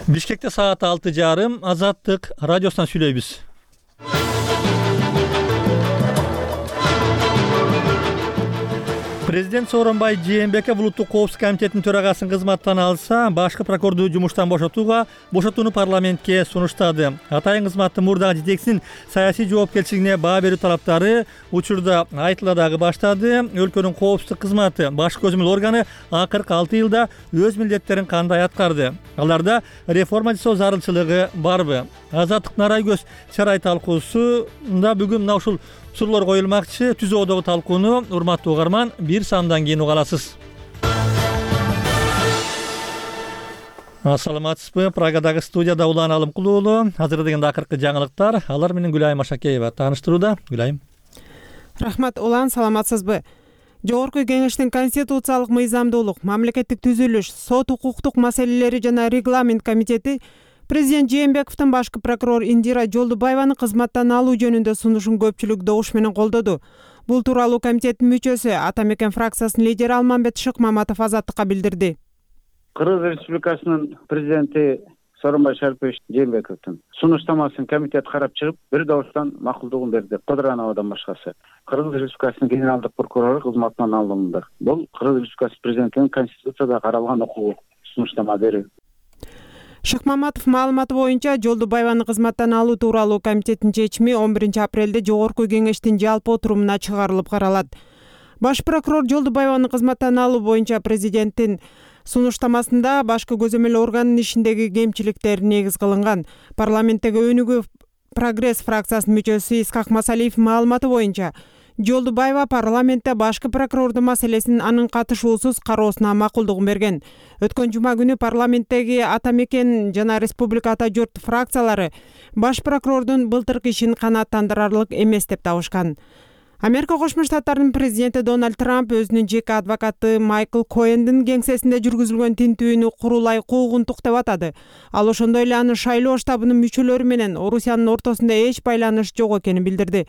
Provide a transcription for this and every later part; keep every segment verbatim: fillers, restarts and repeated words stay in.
Бишкекте саат алты жарым Азаттык радиосунан сүйлөйбүз. Президент Сооронбай Жээнбеков улуттук коопсуздук комитетинин төрагасын кызматтан алса, башкы прокурорду жумуштан бошотууга бошотууну парламентке сунуштады. Атайын кызматтын мурдагы жетекчисинин саясий жоопкерчилигине баа берүү талаптары учурда айтыла дагы баштады. Өлкөнүн коопсуздук кызматы баш көзөмөл органы акыркы алты жылда өз милдеттерин кандай аткарды? Аларда реформа жасоо зарылчылыгы барбы? Азаттык Нарай көз чарай талкуусунда бүгүн мына ушул суроолор коюлмакчы. Түзөөдөгү талкууну урматтуу угарман бир саамдан кийин уга аласыз. Ассаламатсызбы? Прагадагы студияда Улан Алымкул уулу. Азыр дегенде акыркы жаңылыктар. Алар менен Гүлайым Ашакеева тааныштырууда. Гүлайым. Рахмат Улан, саламатсызбы? Жогорку Кеңештин конституциялык мыйзамдуулук, мамлекеттик түзүлүш, сот укуктук маселелери жана регламент комитети Президент Жээнбековдун башкы прокурор Индира Жолдубаеваны кызматтан алуу жөнүндө сунушун көпчүлүк добуш менен колдоду. Бул тууралуу комитеттин мүчөсү Ата Мекен фракциясынын лидери Алмамбет Шыкмаматов Азаттыкка билдирди. Кыргыз Республикасынын президенти Сооронбай Шарипович Жээнбековдун сунуштамасын комитет карап чыгып, бир добуштан макулдугун берди. Кыдырановдон башкасы. Кыргыз Республикасынын генералдык прокурору кызматынан алынды. Бул Кыргыз Республикасы президентинин конституцияда каралган укугу сунуштама берүү. Шыкмаматов маалыматы боюнча Жолдубаеваны кызматтан алуу тууралуу комитеттин чечими он биринчи апрелде Жогорку Кеңештин жалпы отурумуна чыгарылып каралат. Баш прокурор Жолдубаеваны кызматтан алуу боюнча президенттин сунуштамасында башкы көзөмөл органынын ишиндеги кемчиликтер негиз кылынган. Парламенттеги өнүгүү Прогресс фракциясынын мүчөсү Исхак Масалиев маалыматы боюнча Жолдубаева парламентте башкы прокурордун маселесин анын катышуусуз кароосуна макулдугун берген. Өткөн жума күнү парламенттеги Ата Мекен жана Республика Ата Журт фракциялары баш прокурордун былтыркы ишин канааттандырарлык эмес деп табышкан. Америка Кошмо Штаттарынын президенти Дональд Трамп өзүнүн жеке адвокаты Майкл Коэндин кеңсесинде жүргүзүлгөн тинтүүнү курулай куугунтук деп атады. Ал ошондой эле анын шайлоо штабынын мүчөлөрү менен Орусиянын ортосунда эч байланыш жок экенин билдирди.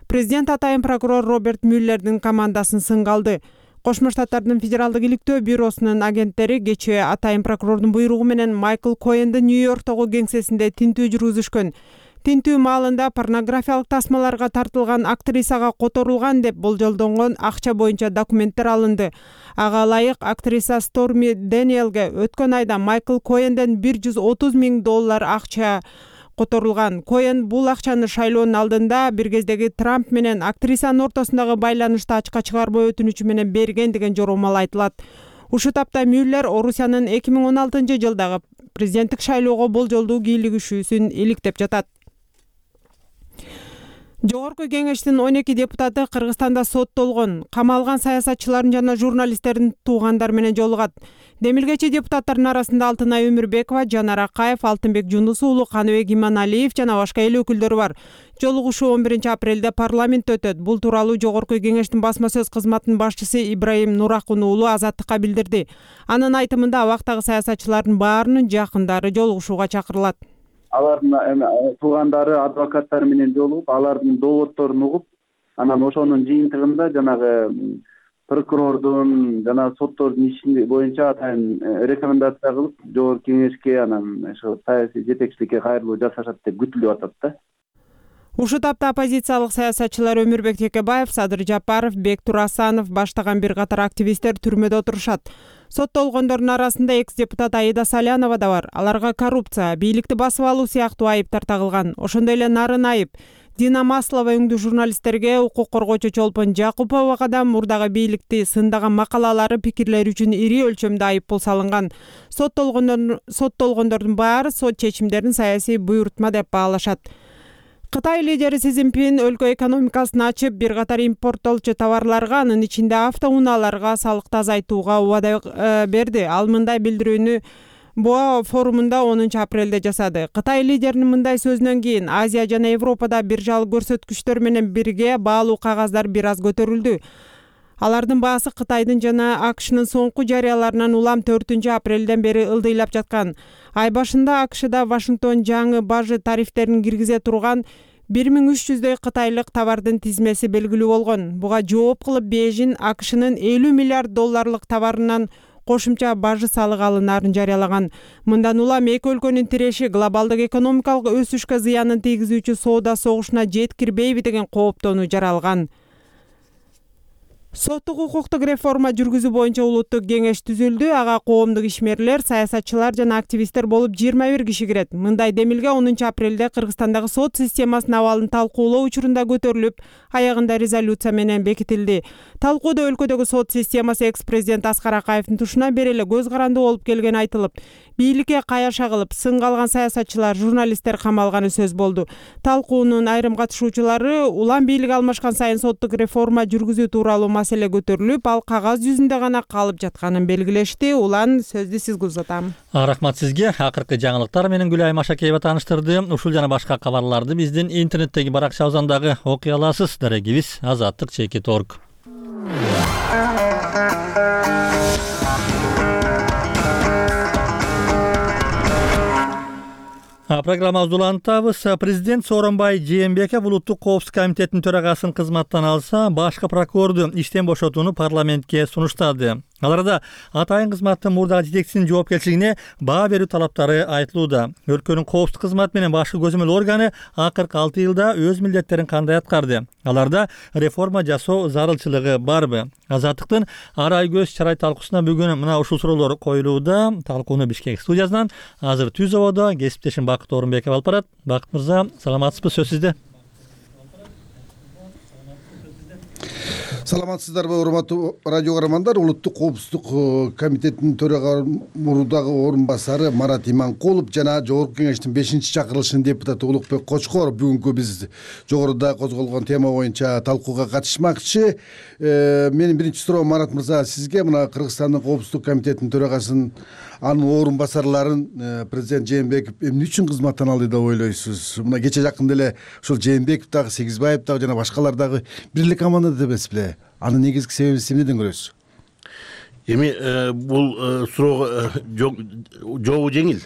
Президент атайын прокурор Роберт Мюллердин командасын сынга алды. Кошмо Штаттардын Федералдык иликтөө бюросунун агенттери кечээ атайын прокурордун буйругу менен Майкл Коэндин Нью-Йорктогу кеңсесинде тинтүү жүргүзүшкөн. Тинтүү маалында порнографиялык тасмаларга тартылган актрисага которулган деп болжолдонгон акча боюнча документтер алынды. Ага ылайык актриса Сторми Дэниелге өткөн айда Майкл Коэнден бир жүз отуз миң доллар акча которулган. Коэн бул акчаны шайлоонун алдында бир кездеги Трамп менен актрисанын ортосундагы байланышты ачка чыгарбоо өтүнүчү менен берген деген жоромал айтылат. Ушул тапта Мюллер Орусиянын эки миң он алтынчы жылдагы президенттик шайлоого болжолдуу кийлигишүүсүн иликтеп жатат. Жогорку Кеңештин он эки депутаты Кыргызстанда соттолгон, камалган саясатчылардын жана журналисттердин туугандары менен жолугат. Демилгечи депутаттардын арасында Алтынай Өмүрбекова, Жанар Акаев, Алтынбек Жунус уулу, Каныбек Иманалиев жана башка эл өкүлдөрү бар. Жолугушуу он биринчи апрелде парламентте өтөт. Бул тууралуу Жогорку Кеңештин басма сөз кызматынын башчысы Ибраим Нуракун уулу Азаттыкка билдирди. Анын айтымында абактагы саясатчылардын баарынын жакындары жолугушууга чакырылат. Алардын туугандары, адвокаттары менен жолугуп, алардын дооддорун угуп, анан ошонун жыйынтыгында жанагы прокурордун жана соттордун иши боюнча атайын рекомендация кылып, Жогорку Кеңешке анан ошо саясий жетекчиликке кайрылуу жасашат деп күтүлүп атат да. Ушул тапта оппозициялык саясатчылар Өмүрбек Текебаев, Садыр Жапаров, Бектур Асанов баштаган бир катар активисттер түрмөдө отурушат. Соттолгондордун арасында экс-депутат Аида Салянова да бар. Аларга коррупция, бийликти басып алуу сыяктуу айыптар тагылган. Ошондой эле нарын айып Дина Маслова өңдүү журналисттерге, укук коргоочу Чолпон Жакуповага да мурдагы бийликти сындаган макалалары, пикирлери үчүн ири өлчөмдө айыппул салынган. Соттолгондордун соттолгондордун баары сот чечимдерин саясий буйрутма деп баалашат. Кытай лидери Си Цзиньпин өлкө экономикасын ачып, бир катар импорттолчу товарларга, анын ичинде автоунааларга салыкты азайтууга убада берди. Ал мындай билдирүүнү Боа форумунда онунчу апрелде жасады. Кытай лидеринин мындай сөзүнөн кийин Азия жана Европада биржалык көрсөткүчтөр менен бирге баалуу кагаздар бир аз көтөрүлдү. Алардын баасы Кытайдын жана АКШнын соңку жарыяларынан улам төртүнчү апрелден бери ылдыйлап жаткан. Ай башында АКШда Вашингтон жаңы бажы тарифтерин киргизе турган бир миң үч жүздөй кытайлык товардын тизмеси белгилүү болгон. Буга жооп кылып Бейжин АКШнын элүү миллиард долларлык товарынан кошумча бажы салык алынаарын жарыялаган. Мындан улам эки өлкөнүн тиреши глобалдык экономикалык өсүшкө зыянын тийгизүүчү соода согушуна жеткирбейби деген кооптонуу жаралган. Соттук укуктук реформа жүргүзүү боюнча улуттук кеңеш түзүлдү. Ага коомдук ишмерлер, саясатчылар жана активисттер болуп жыйырма бир киши кирет. Мындай демилге онунчу апрелде Кыргызстандагы сот системасынын абалын талкуулоо учурунда көтөрүлүп, аягында резолюция менен бекитилди. Талкууда өлкөдөгү сот системасы экс-президент Аскар Акаевдин тушунан бери эле көз каранды болуп келгени айтылып, бийликке каяша кылып, сынга алган саясатчылар, журналисттер камалганы сөз болду. Талкуунун айрым катышуучулары улам бийлик алмашкан сайын соттук реформа жүргүзүү тууралуу маселе көтөрүлүп, ал кагаз жүзүндө гана калып жатканын белгилешти. Улан сөздү сизге узатам. Рахмат сизге. Акыркы жаңылыктар менен Гүлай Машакеева тааныштырды. Ушул жана башка кабарларды биздин интернеттеги баракчабыздан дагы окуй аласыз. Дарегибиз азаттык чекит точка орг. Программабызды улантабыз. Президент Сооронбай Жээнбеков улуттук коопсуздук комитетинин төрагасын кызматтан алса, башкы прокурорду иштен бошотууну парламентке сунуштады. Аларда атайын кызматтын мурдагы жетекчисинин жоопкерчилигине баа берүү талаптары айтылууда. Өлкөнүн коопсуздук кызматы менен башкы көзөмөл органы акыркы алты жылда өз милдеттерин кандай аткарды? Аларда реформа жасоо зарылчылыгы барбы? Азаттыктын ар ай көз чарай талкуусуна бүгүн мына ушул суроолор коюлууда. Талкууну Бишкек студиясынан азыр Түз абада кесиптешим Бакыт Орунбеков алып барат. Бакыт мырза, саламатсызбы? Сөз сизде. Саламатсыздарбы, урматтуу радио көрөрмандар? Улуттук коопсуздук комитетинин төрага мурдагы орун басары Марат Иманкулов жана Жогорку кеңештин бешинчи чакырылышынын депутаты Улукбек Кочкоров бүгүнкү биз жогоруда козголгон тема боюнча талкууга катышмакчы. Менин биринчи суроом, Марат мырза, сизге мына Кыргызстандын коопсуздук комитетинин төрагасын, анын орун басарларын президент Жээнбеков эмне үчүн кызматтан алды деп ойлойсуз? Мына кече жакында эле ушул Жээнбеков дагы, Сегизбаев дагы жана башкалар дагы бир эле командада эмеспи? Анын негизги себебин эмнеден көрөсүз? Эми бул суроого жообу жеңил.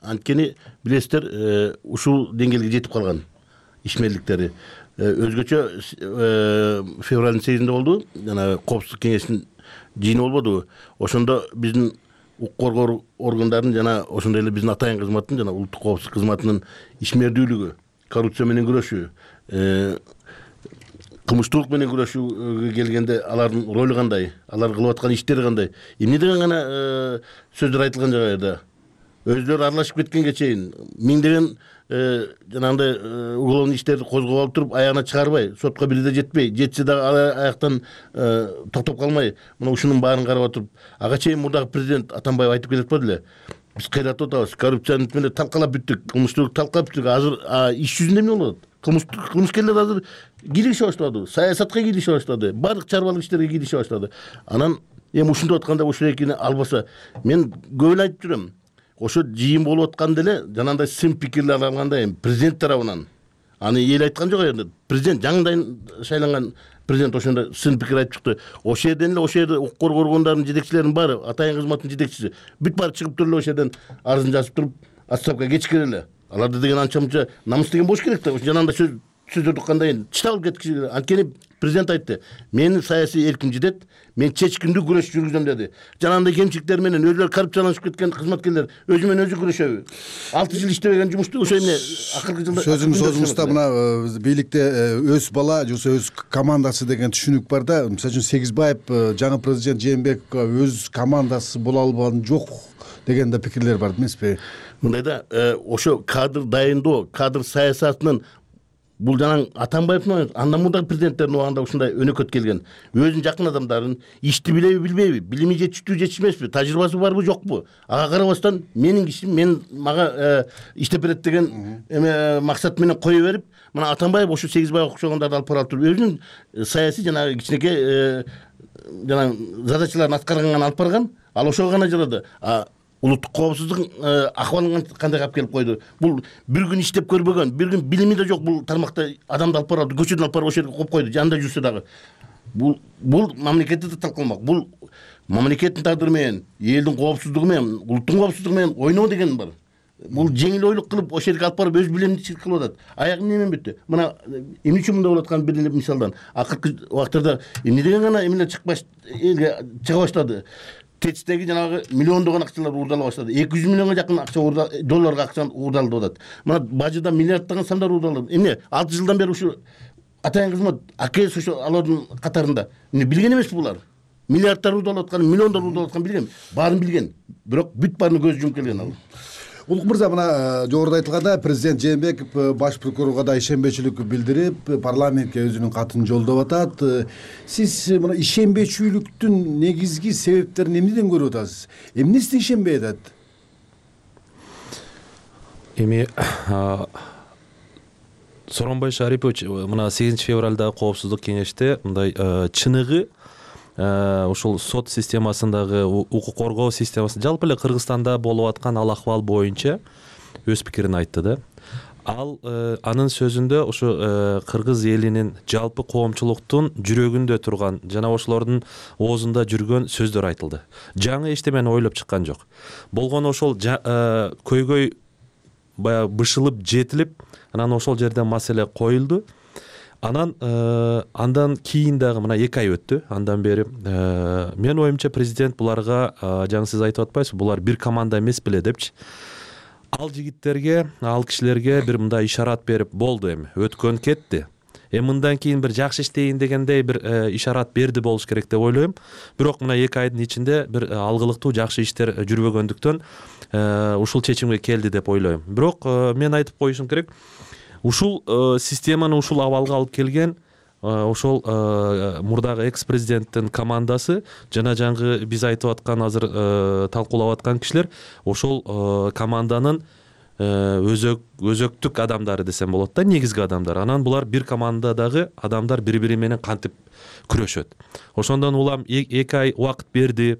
Анткени билесиздер, ушул деңгээлге жетип калган ишмерликтери. Өзгөчө февралдын сегизинде болду, жана коопсуздук кеңешинин жыйыны болбодубу? Ошондо биздин укук коргоо органдарынын жана ошондой эле биздин атайын кызматтын жана улуттук коопсуздук кызматынын ишмердүүлүгү, коррупция менен күрөшүү, кылмыштуулук менен күрөшүүгө келгенде алардын ролу кандай, алар кылып аткан иштери кандай, эмне деген гана сөздөр айтылган жагайда өзүлөрү аралашып кеткенге чейин миңдеген жанагындай уголовный иштерди козгоп алып туруп аягына чыгарбай, сотко бирде жетпей, жетсе дагы аяктан токтоп калмай, мына ушунун баарын карап отуруп, ага чейин мурдагы президент Атамбаев айтып келет болду эле. Биз кыйратып атабыз, коррупцияны менен талкалап бүттүк, кылмыштуулукту талкалап бүттүк. Азыр иш жүзүндө эмне болот? Кылмышкерлер азыр кийлигише баштады, саясатка кийлигише баштады, баардык чарбалык иштерге кийлигише баштады. Анан эми ушундай атканда ушул экини албаса, мен көп эле айтып жүрөм. Ошо жыйын болуп атканда эле жанагындай сын пикирлер алганда эми президент тарабынан аны эл айткан жок енді. Президент жаңыдан шайланган президент ошондой сын пикир айтып чыкты. Ошол жерден эле ошол жерде укук коргоо органдарынын жетекчилеринин баары, атайын кызматтын жетекчиси бүт баары чыгып туруп эле ошол жерден арызын жазып туруп, отставкага кечиккен эле. Аларды деген анча мынча намыс деген болуш керек да. Жанагындай сөз сөздөрдү кандай чыдалып кеткичи керек. Анткени президент айтты, менин саясий эрким жетет, мен чечкиндүү күрөш жүргүзөм деди. Жанагындай кемчиликтер менен өзүлөрү коррупцияланышып кеткен кызматкерлер өзү менен өзү күрөшөбү? алты жыл иштебеген жумушту ошо эмне акыркы жылда сөзүңүз созуңузда мына бийликте өз бала же өз командасы деген түшүнүк бар да. Мисалы үчүн Сегизбаев жаңы президент Жээнбековго өз командасы боло албаган жок деген да пикирлер бар эмеспи? Мындай да, ошо кадр дайындоо, кадр саясатынын бул жанаң Атамбаевдин андан мурдагы президенттердин убагында ушундай өнөкөт келген. Өзүнүн жакын адамдарын ишти билеби билбейби, билими жетиштүү жетишмеспи, тажрыйбасы барбы жокпу? Ага карабастан менин кишим мен мага иштеп берет деген эме максат менен кое берип, мына Атамбаев ошо Сегизбаев окшогондорду алып барып туруп өзүнүн саясий жанагы кичинекей жана задачаларын аткарганга алып барган. Ал ошого гана жарады. Улуттук коопсуздук акыбалын кандай калып келип койду? Бул бир күн иштеп көрбөгөн, бир күн билими да жок бул тармакта адамды алып барып, көчөдөн алып барып ошол жерге коюп койду. Жанында жүрсө дагы. Бул бул мамлекетти да талкаламак. Бул мамлекеттин тагдыры менен, элдин коопсуздугу менен, улуттун коопсуздугу менен ойноо деген бар. Бул жеңил ойлук кылып ошол жерге алып барып өз билимдичилик кылып атат. Аягы эмне менен бүттү? Мына эмне үчүн мындай болуп атканын бир эле мисалдан. Акыркы убактарда эмне деген гана эмелер чыкпаш элге чыга баштады. тэцтеги жанагы миллиондогон акчалар уурдала баштады. эки жүз миллионго жакын акча долларга акча уурдалып атат. Мына бажыда миллиарддаган сандар уурдалып. Эмне алты жылдан бери ушу атайын кызмат АКС ошо алардын катарында. Эмне билген эмеспи булар? Миллиарддар уурдалып аткан, миллиондор уурдалып аткан билген. Баарын билген. Бирок бүт баарына көз жумуп келген ал. Улук мырза, мына жогоруда айтылгандай президент Жээнбеков баш прокурорго да ишенбечүлүк билдирип, парламентке өзүнүн катын жолдоп атат. Сиз мына ишенбечүлүктүн негизги себептерин эмнеден көрүп атасыз? Эмнесине ишенбей атат? Эми Сооронбай Шарипович мына сегизинчи февралдагы коопсуздук кеңеште мындай чыныгы ушул сот системасындагы укук коргоо системасы жалпы эле Кыргызстанда болуп аткан ал акыбал боюнча өз пикирин айтты да. Ал анын сөзүндө ушу кыргыз элинин жалпы коомчулуктун жүрөгүндө турган жана ошолордун оозунда жүргөн сөздөр айтылды. Жаңы эчтемени ойлоп чыккан жок. Болгону ошол көйгөй баягы бышылып жетилип, анан ошол жерден маселе коюлду. Анан андан кийин дагы мына эки ай өттү. Андан бери менин оюмча президент буларга жаңы сиз айтып атпайсызбы, булар бир команда эмес беле депчи. Ал жигиттерге, ал кишилерге бир мындай ишарат берип болду, эми өткөн кетти. Эми мындан кийин бир жакшы иштейин дегендей бир ишарат берди болуш керек деп ойлойм. Бирок мына эки айдын ичинде бир алгылыктуу жакшы иштер жүрбөгөндүктөн ушул чечимге келди деп ойлойм. Бирок мен айтып коюшум керек, ушул системаны ушул абалга алып келген ошол мурдагы экс-президенттин командасы жана жаңы биз айтып аткан азыр талкуулап аткан кишилер ошол команданын өзөк өзөктүк адамдары десем болот да, негизги адамдар. Анан булар бир командадагы адамдар бири-бири менен кантип күрөшөт. Ошондон улам эки ай убакыт берди.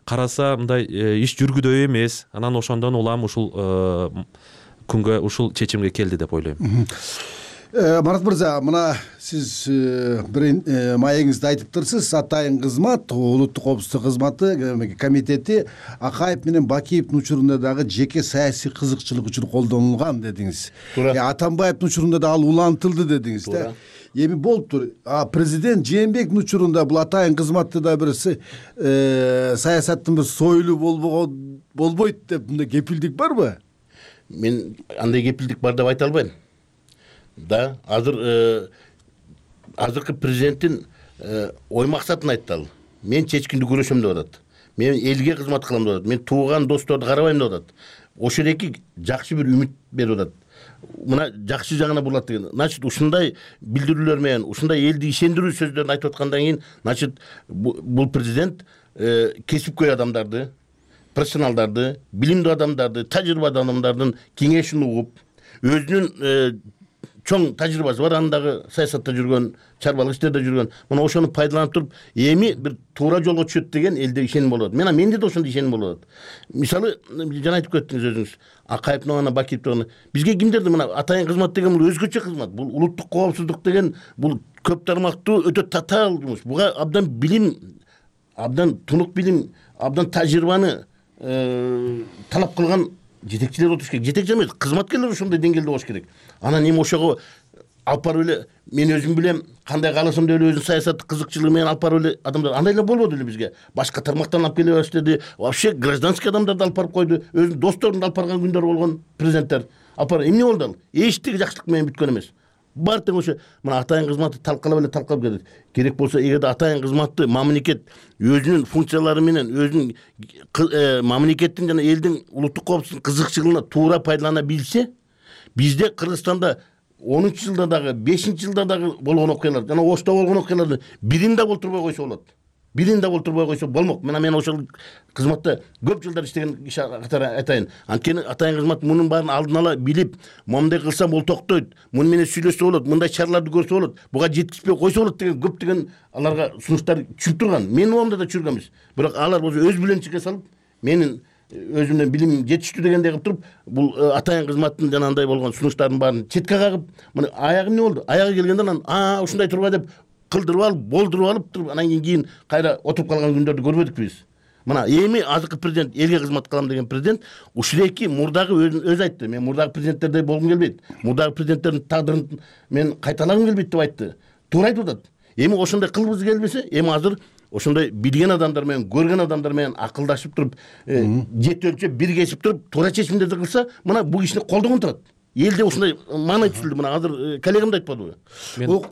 Караса мындай иш жүргүдөй эмес. Анан ошондон улам ушул күнгө ушул чечимге келди деп ойлойм. Марат мырза, мына сиз бир маегиңизде айтыптырсыз, атайын кызмат, улуттук коопсуздук кызматы комитети Акаев менен Бакиевдин учурунда дагы жеке саясий кызыкчылык үчүн колдонулган дедиңиз. Атамбаевдин учурунда да ал улантылды дедиңиз да. Эми болуптур. А президент Жээнбековдун учурунда бул атайын кызматты да бир саясаттын бир сойлу болбогон болбойт деп мындай кепилдик барбы? Мен андай кепилдик бар деп айта албайм. Да, азыр азыркы президенттин ой максатын айтты ал. Мен чечкиндүү күрөшөм деп атат. Мен элге кызмат кылам деп атат. Мен тууган досторду карабайм деп атат. Ошол эки жакшы бир үмүт берип атат. Мына жакшы жагына бурулат деген. Значит, ушундай билдирүүлөр менен, ушундай элди ишендирүү сөздөрүн айтып аткандан кийин, значит, бул президент кесипкөй адамдарды, профессионалдарды, билимдүү адамдарды, тажрыйбалуу адамдардын кеңешин угуп, өзүнүн чоң тажрыйбасы бар, андагы саясатта жүргөн, чарбалык иштерде жүргөн, мына ошону пайдаланып туруп, эми бир туура жолго түшөт деген элде ишеним болот. Мена менде да ошондой ишеним болот. Мисалы, жана айтып кеттиңиз өзүңүз, Акаевдин гана, Бакиевдин гана. Бизге кимдерди мына атайын кызмат деген бул өзгөчө кызмат. Бул улуттук коопсуздук деген бул көп тармактуу өтө татаал жумуш. Буга абдан билим, абдан тунук билим, абдан тажрыйбаны талап кылган жетекчилер отуруш керек. Жетекчи эмес, кызматкерлер ошондой деңгээлде болуш керек. Анан эми ошого алып барып эле мен өзүм билем, кандай кааласам деп эле өзүнүн саясаттык кызыкчылыгы менен алып барып эле адамдар андай эле болбоду эле бизге. Башка тармактан алып келе баштады. Вообще гражданский адамдарды алып барып койду. Өзүнүн досторун алып барган күндөр болгон президенттер. Алып барып эмне болду ал? Эчтеги жакшылык менен бүткөн эмес. Бар тең ошо мына атайын кызматты талкалап эле талкалап келет. Керек болсо эгерде атайын кызматты мамлекет өзүнүн функциялары менен, өзүнүн мамлекеттин жана элдин улуттук коопсуздук кызыкчылыгына туура пайдалана билсе, бизде Кыргызстанда онунчу жылда дагы, бешинчи жылда дагы болгон окуялар, жана Ошто болгон окуяларды бирин да болтурбой койсо болот. Бирин да болтурбой койсо болмок. Мына мен ошол кызматта көп жылдар иштеген иш катары айтайын. Анткени атайын кызмат мунун баарын алдын ала билип, момундай кылсам бул токтойт, муну менен сүйлөшсө болот, мындай чараларды көрсө болот, буга жеткизбей койсо болот деген көптөгөн аларга сунуштар түшүп турган. Менин оомда да чүргөн эмес. Бирок алар болсо өз билимчиге салып, менин өзүмдөн билим жетиштүү дегендей кылып туруп, бул атайын кызматтын жанагындай болгон сунуштардын баарын четке кагып, мына аягы эмне болду? Аягы келгенде анан а ушундай турба деп кылдырып алып, болдуруп алып туруп, анан кийин кайра отуруп калган күндөрдү көрбөдүкпү биз. Мына эми азыркы президент, элге кызмат кылам деген президент ушул эки мурдагы өзү айтты. Мен мурдагы президенттердей болгум келбейт. Мурдагы президенттердин тагдырын мен кайталагым келбейт деп айтты. Туура айтып атат. Эми ошондой кылгыбыз келбесе, эми азыр ошондой билген адамдар менен, көргөн адамдар менен акылдашып туруп, жети биргешип туруп туура чечимдерди кылса, мына бул кишини колдогон турат. Элде ушундай маанай түзүлдү. Мына азыр коллегам да айтпадыбы? Мен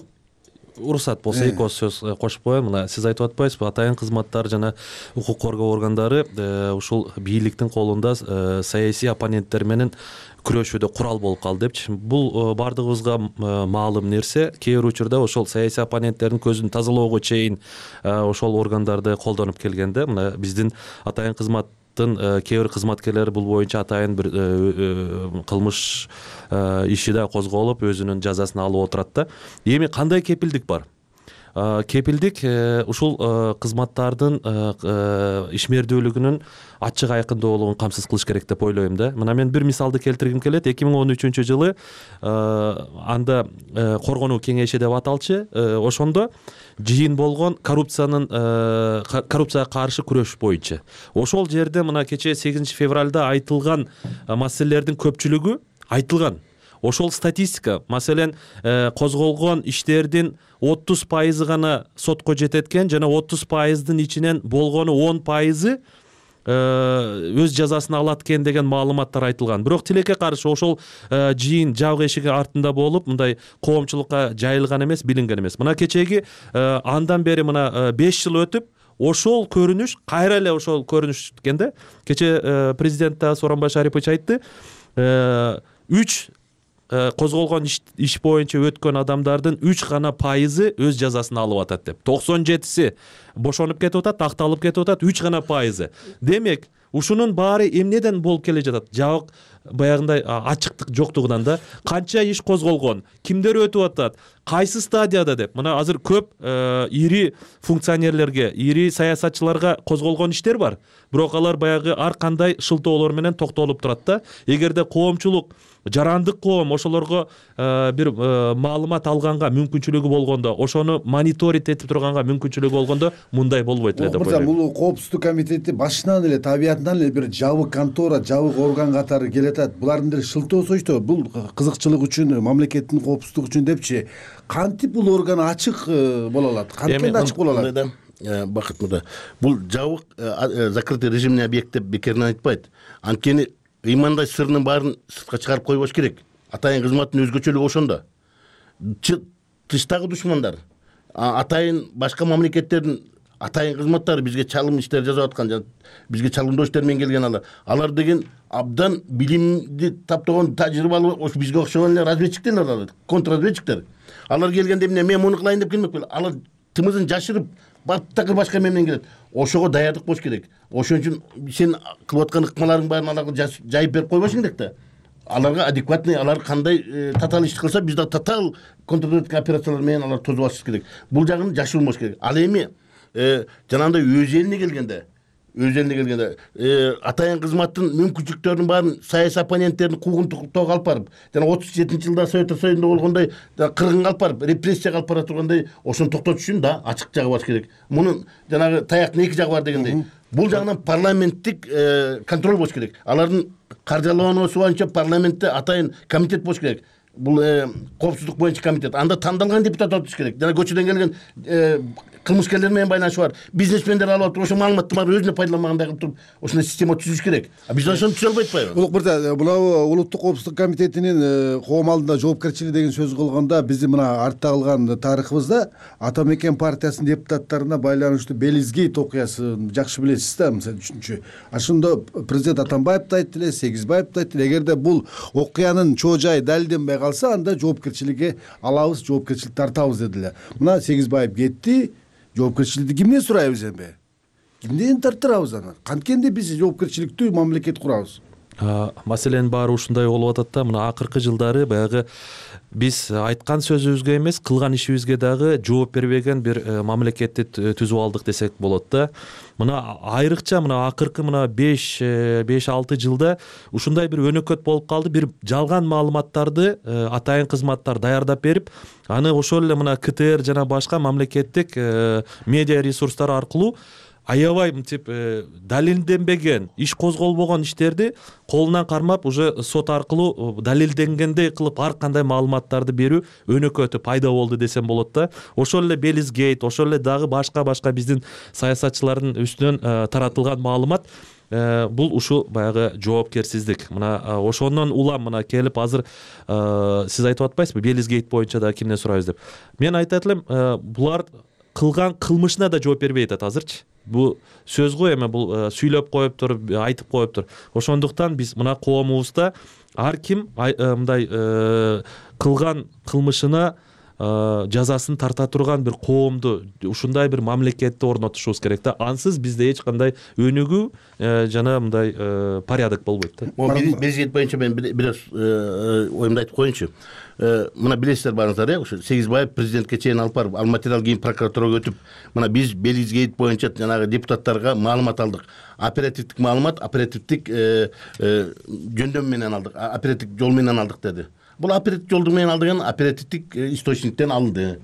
уруксат болсо эки ооз сөз кошуп коеюн. Мына сиз айтып атпайсызбы, атайын кызматтар жана укук коргоо органдары ушул бийликтин колунда саясий оппоненттер менен күрөшүүдө курал болуп калды депчи. Бул бардыгыбызга маалым нерсе. Кээ бир учурда ошол саясий оппоненттердин көзүн тазалоого чейин ошол органдарды колдонуп келгенде, мына биздин атайын кызмат кээ бир кызматкерлер бул боюнча атайын бир кылмыш иши да козголуп, өзүнүн жазасын алып отурат да. Эми кандай кепилдик бар? Кепилдик ушул кызматтардын ишмердүүлүгүнүн ачык айкындуулугун камсыз кылыш керек деп ойлойм да. Мына мен бир мисалды келтиргим келет. эки миң он үчүнчү жылы анда коргонуу кеңеши деп аталчы, ошондо жыйын болгон коррупциянын коррупцияга каршы күрөш боюнча. Ошол жерде мына кечээ сегизинчи февралда айтылган маселелердин көпчүлүгү айтылган. Ошол статистика, маселен, козголгон иштердин отуз пайызы гана сотко жетет экен, жана отуз пайыздын ичинен болгону он пайызы өз жазасын алат экен деген маалыматтар айтылган. Бирок тилекке каршы ошол жыйын жабык эшиги артында болуп, мындай коомчулукка жайылган эмес, билинген эмес. Мына кечеги андан бери мына беш жыл өтүп, ошол көрүнүш кайра эле ошол көрүнүш экен да. Кече президент Сооронбай Шарипович айтты, үч козголгон иш боюнча өткөн адамдардын үч гана пайызы өз жазасын алып атат деп. токсон жетиси бошонуп кетип атат, акталып кетип атат, үч гана пайызы. Демек, ушунун баары эмнеден болуп келе жатат? Жабык баягындай ачыктык жоктугунан да. Канча иш козголгон, кимдер өтүп атат, кайсы стадияда деп. Мына азыр көп ири функционерлерге, ири саясатчыларга козголгон иштер бар. Бирок алар баягы ар кандай шылтоолор менен токтолуп турат да. Эгерде коомчулук, жарандык коом ошолорго бир маалымат алганга мүмкүнчүлүгү болгондо, ошону мониторинг этип турганга мүмкүнчүлүгү болгондо мындай болбойт эле деп ойлойм. Бул коопсуздук комитети башынан эле, табиятынан эле бир жабык контора, жабык орган катары келет. Булардын деле шылтоосу ичте, бул кызыкчылык үчүн, мамлекеттин коопсуздугу үчүн депчи. Кантип бул орган ачык боло алат? Кантип ачык боло алат? Бакыт мырза, бул жабык закрытый режимный объект деп бекеринен айтпайт. Анткени ыймандай сырынын баарын сыртка чыгарып койбош керек. Атайын кызматтын өзгөчөлүгү ошондо. Тыштагы душмандар, атайын башка мамлекеттердин атайын кызматтары бизге чалым иштер жасап аткан, бизге чалымдоо иштер менен келген алар. Алар деген абдан билимди таптаган, тажрыйбалуу, ошо бизге окшогон эле разведчиктер алар, контрразведчиктер. Алар келгенде эмне, мен муну кылайын деп келмек беле. Алар тымызын жашырып, баттакы башка менен келет. Ошого даярдык болуш керек. Ошон үчүн сен кылып аткан ыкмаларың баарын аларга жайып берип койбошуң керек да. Аларга адекватный, алар кандай татаал иш кылса, биз да татаал контрразведка операциялар менен алар тосуп алышыбыз керек. Бул жагын жашырмаш керек. Ал эми жанагындай өз элине келгенде, өз элине келгенде атайын кызматтын мүмкүнчүлүктөрүнүн баарын саясий оппоненттердин куугунтуктоого алып барып, жана отуз жетинчи жылда Советтер Союзунда болгондой кыргынга алып барып, репрессияга алып бара тургандай, ошону токтотуш үчүн да ачык жагы бар керек. Мунун жанагы таяктын эки жагы бар дегендей. Бул жагынан парламенттик контроль болуш керек. Алардын каржылануусу боюнча парламентте атайын комитет болуш керек. Бул коопсуздук боюнча комитет. Анда тандалган депутат отуш керек. Жана көчөдөн келген кылмышкерлер менен байланышы бар, бизнесмендер алып туруп, ошо маалыматты баары өзүнө пайдаланмагандай кылып туруп, ошондой система түзүш керек. А биз ошону түзө албай атпайбы? Улук мырза, мына улуттук коопсуздук комитетинин коом алдында жоопкерчилиги деген сөз кылганда, биздин мына артта калган тарыхыбызда Ата Мекен партиясынын депутаттарына байланыштуу Белизгейт окуясын жакшы билесиз да, мисалы үчүнчү. Ошондо президент Атамбаев да айтты эле, Сегизбаев да айтты эле, эгерде бул окуянын чоо жайы далилденбей калса, анда жоопкерчиликке алабыз, жоопкерчилик тартабыз деди эле. Мына Сегизбаев кетти. Жоопкерчиликти кимден сурайбыз эми? Кимден тарттырабыз аны? Канткенде биз жоопкерчиликтүү мамлекет курабыз? Маселенин баары ушундай болуп атат да. Мына акыркы жылдары баягы биз айткан сөзүбүзгө эмес, кылган ишибизге дагы жооп бербеген бир мамлекетти түзүп алдык десек болот да. Мына айрыкча мына акыркы мына беш алты жылда ушундай бир өнөкөт болуп калды. Бир жалган маалыматтарды атайын кызматтар даярдап берип, аны ошол эле мына КТР жана башка мамлекеттик медиа ресурстар аркылуу аябай мынтип далилденбеген, иш козголбогон иштерди колунан кармап уже сот аркылуу далилденгендей кылып ар кандай маалыматтарды берүү өнөкөтү пайда болду десем болот да. Ошол эле Белизгейт, ошол эле дагы башка башка биздин саясатчылардын үстүнөн таратылган маалымат бул ушул баягы жоопкерсиздик. Мына ошондон улам мына келип азыр сиз айтып атпайсызбы Белизгейт боюнча да кимден сурайбыз деп. Мен айтат элем, булар кылган кылмышына да жооп бербей атат азырчы. Бул сөз го эме, бул сүйлөп коюптур, айтып коюптур. Ошондуктан биз мына коомубузда ар ким мындай кылган кылмышына жазасын тарта турган бир коомду, ушундай бир мамлекетти орнотушубуз керек да. Ансыз бизде эч кандай өнүгүү жана мындай порядок болбойт да. Белизгейт боюнча мен бир аз оюмду айтып коеюнчу. Мына билесиздер барыңыздар, э, ошо Сегизбаев президентке чейин алып барып, ал материал кийин прокуратурага өтүп, мына биз Белизгейт боюнча жанагы депутаттарга маалымат алдык. Оперативдик маалымат, оперативдик жөндөм менен алдык, оперативдик жол менен алдык деди. Бул оперативдик жолдун менен алдыган оперативдик источниктен алынды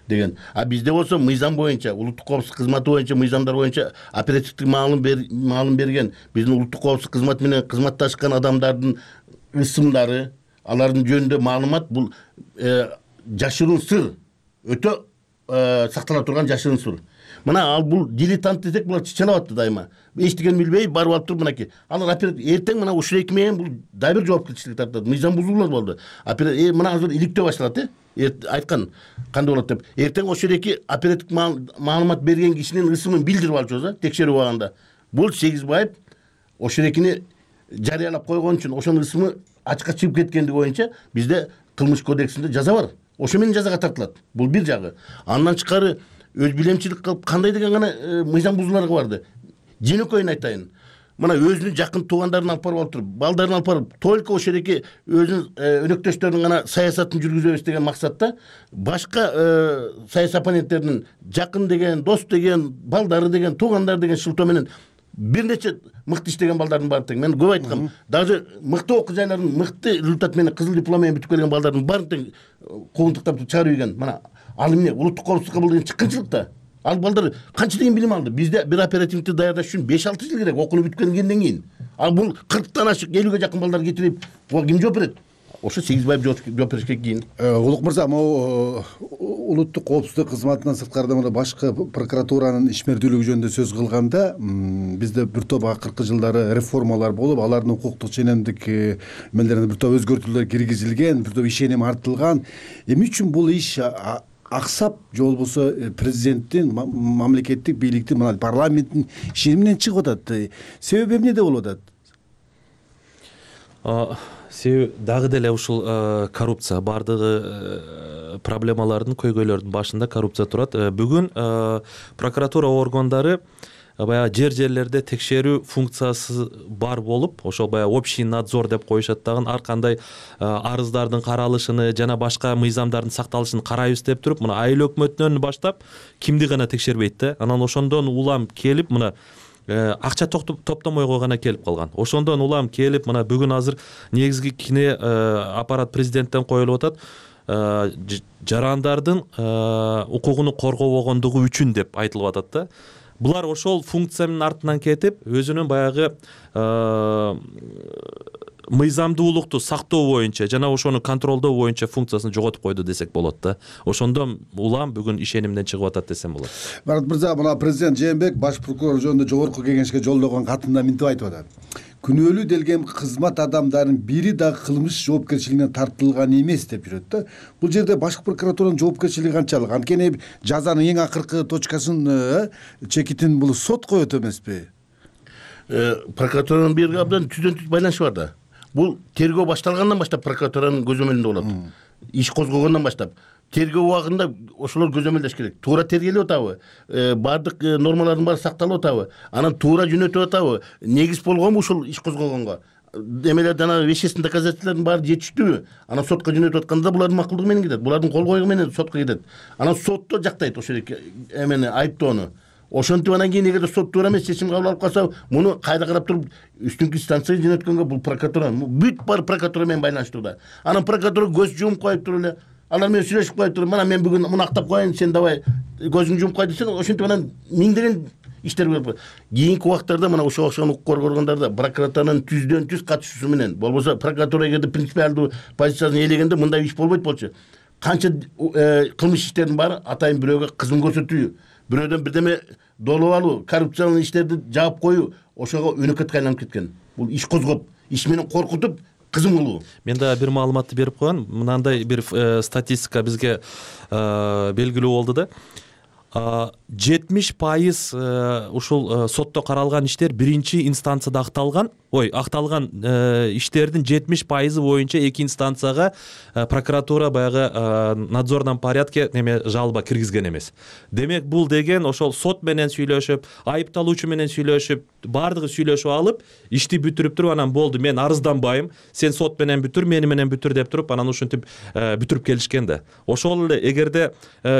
деген. А бизде болсо мыйзам боюнча, улуттук коопсуздук кызматы боюнча, мыйзамдар боюнча оперативдик маалым маалым берген, биздин улуттук коопсуздук кызматы менен кызматташкан адамдардын ысымдары, алардын жөнүндө маалымат, бул жашыруун сыр, өтө сактала турган жашыруун сыр. Мына ал бул дилетант десек, булар чычалап атты дайыма. Эчтеген билбей барып алып туруп мынакей. Алар эртең мына ушул эки менен бул дагы бир жоопкерчилик тартат. Мыйзам бузуулар болду. Мына азыр иликтөө башталат, э? Айткан кандай болот деп. Эртең ошол эки оперативдик маалымат берген кишинин ысымын билдирип алчубуз, текшерип алганда. Бул Сегизбаев ошол экини жарыялап койгон үчүн ошонун ысымы ачыкка чыгып кеткендиги боюнча бизде кылмыш кодексинде жаза бар. Ошо менен жазага тартылат. Бул бир жагы. Андан тышкары өз билемчилик кылып кандай деген гана мыйзам бузууларга барды. Жөнөкөйүн айтайын. Мына өзүнүн жакын туугандарын алып барып отуруп, балдарын алып барып, только ошол эки өзүнүн өнөктөштөрүнүн гана саясатын жүргүзөбүз деген максатта башка саясий оппоненттердин жакын деген, дос деген, балдары деген, туугандар деген шылтоо менен бир нече мыкты иштеген балдардын баары тең. Мен көп айткам, даже мыкты окуу жайларын мыкты результат менен кызыл диплом менен бүтүп келген балдардын баарын тең куугунтуктап чыгарып ийген. Мына ал эмне улуттук коопсуздукка бул деген чыккынчылык да. Ал балдар канча деген билим алды? Бизде бир оперативникти даярдаш үчүн беш алты жыл керек, окууну бүтүп келгенден кийин. Ал бул кырктан ашык, элүүгө жакын балдар кетирип, буга ким жооп берет? Ошо Сегизбаев жооп беришке кийин. Улук мырза, могу улуттук коопсуздук кызматынан сырткарыда мына башкы прокуратуранын ишмердүүлүгү жөнүндө сөз кылганда, бизде бир топ акыркы жылдары реформалар болуп, алардын укуктук ченемдик эмелерине бир топ өзгөртүүлөр киргизилген, бир топ ишеним артылган. Эмне үчүн бул иш аксап, же болбосо президенттин, мамлекеттик бийликтин, мына парламенттин ишениминен чыгып атат? Себеби эмнеде болуп атат? Себеби дагы деле ушул коррупция, бардыгы проблемалардын, көйгөйлөрдүн башында коррупция турат. Бүгүн прокуратура органдары баягы жер жерлерде текшерүү функциясы бар болуп, ошол баягы общий надзор деп коюшат дагы, ар кандай арыздардын каралышыны жана башка мыйзамдардын сакталышын карайбыз деп туруп, мына айыл өкмөтүнөн баштап кимди гана текшербейт да. Анан ошондон улам келип, мына акча топтомойго гана келип калган. Ошондон улам келип, мына бүгүн азыр негизги кине аппарат президенттен коюлуп атат. Жарандардын укугуну коргобогондугу үчүн деп айтылып атат да. Булар ошол функциянын артынан кетип, өзүнүн баягы мыйзамдуулукту сактоо боюнча жана ошону контролдоо боюнча функциясын жоготуп койду десек болот да. Ошондон улам бүгүн ишенимден чыгып атат десем болот. Марат мырза, мына президент Жээнбеков баш прокурор жөнүндө жогорку кеңешке жолдогон катында мынтип айтып атат. Күнөөлүү делген кызмат адамдарынын бири дагы кылмыш жоопкерчилигине тартылган эмес деп жүрөт да. Бул жерде башкы прокуратуранын жоопкерчилиги канчалык? Анткени жазанын эң акыркы точкасын, чекитин бул сот коет эмеспи? Прокуратуранын бирге абдан түздөн түз байланышы бар да. Бул тергөө башталгандан баштап прокуратуранын көзөмөлүндө болот. Иш козгогондон баштап тергөө убагында ошолор көзөмөлдөш керек. Туура тергелип атабы? Бардык нормалардын баары сакталып атабы? Анан туура жөнөтүп атабы? Негиз болгонбу ушул иш козгогонго? Эмелер жана вещественный доказательстволордун баары жетиштүүбү? Анан сотко жөнөтүп атканда булардын макулдугу менен кетет. Булардын кол койгу менен сотко кетет. Анан сотто жактайт ошол эмени, айыптоону. Ошентип анан кийин эгерде сот туура эмес чечим кабыл алып калса, муну кайда карап туруп үстүнкү инстанцияга жөнөткөнгө бул прокуратура, бүт баары прокуратура менен байланыштуу да. Анан прокуратура көз жумуп коюп туруп эле, алар менен сүйлөшүп коюп туруп, мына мен бүгүн муну актап коеюн, сен давай көзүңдү жумуп кой десең, ошентип анан миңдеген иштер кийинки убакыттарда мына ошого окшогон укук коргоо органдарда прокуратуранын түздөн түз катышуусу менен болбосо прокуратура эгерде принципиалдуу позициясын ээлегенде мындай иш болбойт болчу. Канча кылмыш иштердин баары атайын бирөөгө кызмат көрсөтүү, бирөөдөн бирдеме долуп алуу, коррупциялык иштерди жаап коюу ошого өнөкөткө айланып кеткен. Бул иш козгоп, иш менен коркутуп кызым кылуу. Мен да бир маалыматты берип коеюн. Мынандай бир статистика бизге белгилүү болду да. жетимиш пайыз ушул сотто каралган иштер биринчи инстанцияда акталган. Ой, акталган иштердин жетимиш пайызы боюнча эки инстанцияга прокуратура баягы надзорном порядке неме жалоба киргизген эмес. Демек бул деген ошол сот менен сүйлөшүп, айыпталуучу менен сүйлөшүп, баардыгы сүйлөшүп алып, ишти бүтүрүп туруп анан болду, мен арызданбайм, сен сот менен бүтүр, мени менен бүтүр деп туруп анан ушинтип бүтүрүп келишкен да. Ошол эле эгерде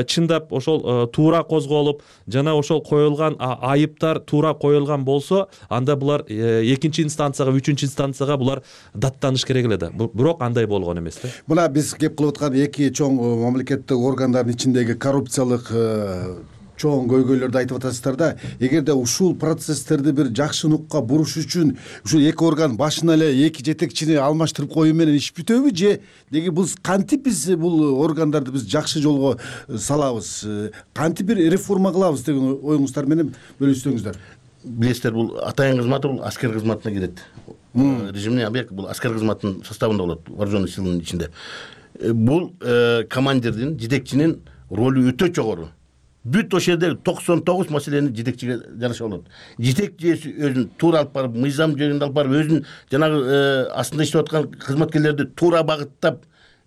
чындап ошол туура козголуп, жана ошол коюлган айыптар туура коюлган болсо, анда булар экинчи инстанцияга, үчүнчү инстанцияга булар даттаныш керек эле да. Бирок андай болгон эмес да. Мына биз кеп кылып аткан эки чоң мамлекеттик органдардын ичиндеги коррупциялык чоң көйгөйлөрдү айтып атасыздар да. Эгерде ушул процесстерди бир жакшы нукка буруш үчүн ушул эки орган башына эле эки жетекчини алмаштырып коюу менен иш бүтөбү же деги бул кантип биз бул органдарды биз жакшы жолго салабыз, кантип бир реформа кылабыз деген оюңуздар менен бөлүшсөңүздөр. Билесиздер, бул атайын кызматы бул аскер кызматына кирет. Режимный объект бул аскер кызматынын составында болот, вооруженный силанын ичинде. Бул командирдин, жетекчинин ролу өтө жогору. Бүт ошол жерде токсон тогуз маселени жетекчиге жараша болот. Жетекчи өзүн туура алып барып, мыйзам жөнүндө алып барып, өзүн жанагы астында иштеп аткан кызматкерлерди туура багыттап,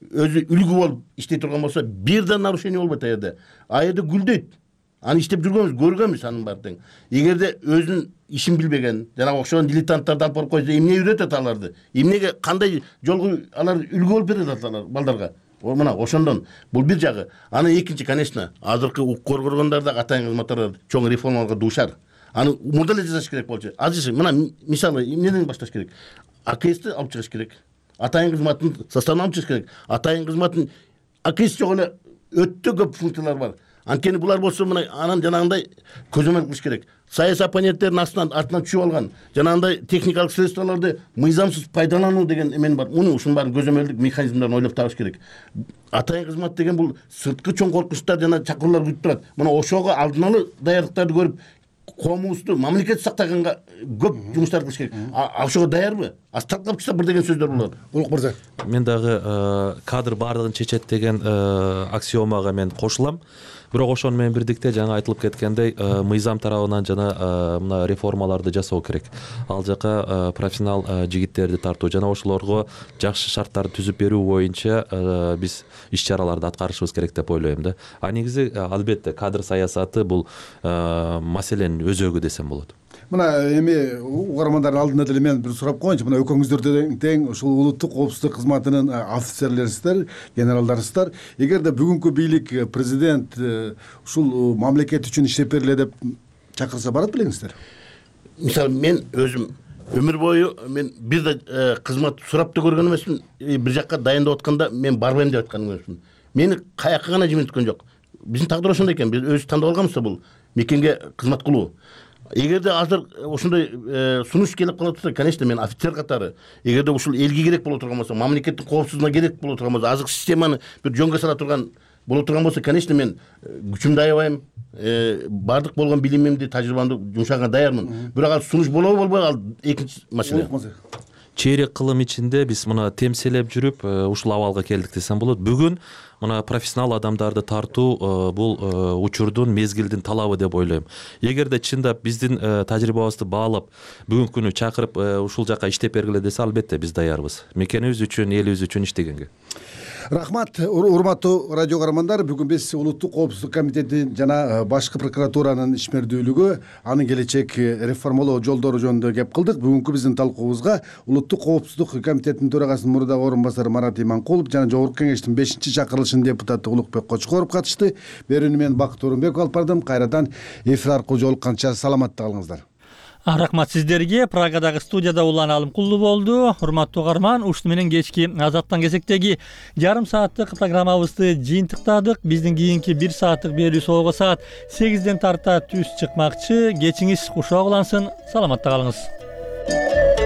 өзү үлгү болуп иштей турган болсо, бир да нарушение болбойт а жерде. А жерде гүлдөйт. Аны иштеп жүргөнбүз, көргөнбүз анын баарын тең. Эгерде өзүнүн ишин билбеген, жана окшогон дилетанттарды алып барып койсо, эмне үйрөтөт аларды? Эмнеге кандай жолго алар үлгү болуп берет алар балдарга? Мына ошондон бул бир жагы. Аны экинчи, конечно, азыркы укук коргоо органдарында атайын кызматтар чоң реформаларга дуушар. Аны мурда эле жасаш керек болчу. Азыр мына мисалы эмнеден башташ керек? А К С'ти алып чыгыш керек. Атайын кызматтын составына алып чыгыш керек. Атайын кызматтын А К С жок эле өтө көп функциялар бар. Анткени булар болсо мына анан жанагындай көзөмөл кылыш керек. Саясий оппоненттердин астынан артынан түшүп алган жанагындай техникалык средстволорду мыйзамсыз пайдалануу деген эмен бар. Муну ушунун баарын көзөмөлдүк механизмдерин ойлоп табыш керек. Атайын кызмат деген бул сырткы чоң коркунучтар жана чакыруулар күтүп турат. Мына ошого алдын ала даярдыктарды көрүп, коомубузду, мамлекетти сактаганга көп жумуштар кылыш керек. Ошого даярбы? Аз талкап чыкса бир деген сөздөр болот. Улук мырза. Мен дагы кадр баардыгын чечет деген аксиомага мен кошулам. Бирок ошону менен бирдикте жаңа айтылып кеткендей, мыйзам тарабынан жана мына реформаларды жасоо керек. Ал жака профессионал жигиттерди тартуу жана ошолорго жакшы шарттарды түзүп берүү боюнча биз иш-чараларды аткарышыбыз керек деп ойлойм да. А негизи албетте кадр саясаты бул маселенин өзөгү десем болот. Мына эми угармандардын алдында деле мен бир сурап коеюнчу. Мына экөөңүздөр тең ушул улуттук коопсуздук кызматынын офицерлерисиздер, генералдарысыздар. Эгерде бүгүнкү бийлик, президент ушул мамлекет үчүн иштеп бергиле деп чакырса барат белеңиздер? Мисалы мен өзүм өмүр бою мен бир да кызмат сурап да көргөн эмесмин. Бир жакка дайындап атканда мен барбайм деп аткан эмесмин. Мени каяка гана жиберткөн жок. Биздин тагдыр ошондой экен. Биз өзүбүз тандап алганбыз да бул мекенге кызмат кылуу. Эгерде азыр ошондой сунуш келип кала турса, конечно, мен офицер катары, эгерде ушул элге керек боло турган болсо, мамлекеттин коопсуздугуна керек боло турган болсо, азыркы системаны бир жөнгө сала турган боло турган болсо, конечно, мен күчүмдү аябайм, баардык болгон билимимди, тажрыйбамды жумшаганга даярмын. Бирок ал сунуш болобу болбойбу, ал экинчи маселе. Чейрек кылым ичинде биз мына темселеп жүрүп ушул абалга келдик десем болот. Бүгүн мына профессионал адамдарды тартуу бул учурдун, мезгилдин талабы деп ойлойм. Эгерде чындап биздин тажрыйбабызды баалап, бүгүнкү күнү чакырып ушул жака иштеп бергиле десе, албетте биз даярбыз. Мекенибиз үчүн, элибиз үчүн иштегенге. Рахмат, урматтуу радио көрөрмандар. Бүгүн биз улуттук коопсуздук комитетин жана башкы прокуратуранын ишмердүүлүгү, анын келечек реформалоо жолдору жөнүндө кеп кылдык. Бүгүнкү биздин талкуубузга улуттук коопсуздук комитетинин төрагасынын мурдагы орун басары Марат Иманкулов жана Жогорку Кеңештин бешинчи чакырылышынын депутаты Улукбек Кочкоров катышты. Берүүнү мен Бакыт Орунбеков алып бардым. Кайрадан эфир аркылуу жолукканча саламатта калыңыздар. Рахмат сиздерге. Прагадагы студияда Улан Алымкулду болду. Урматтуу угарман, ушуну менен кечки Азаттан кезектеги жарым сааттык программабызды жыйынтыктадык. Биздин кийинки бир сааттык берүү соого саат сегизден тарта түз чыкмакчы. Кечиңиз кушак улансын. Саламатта калыңыз.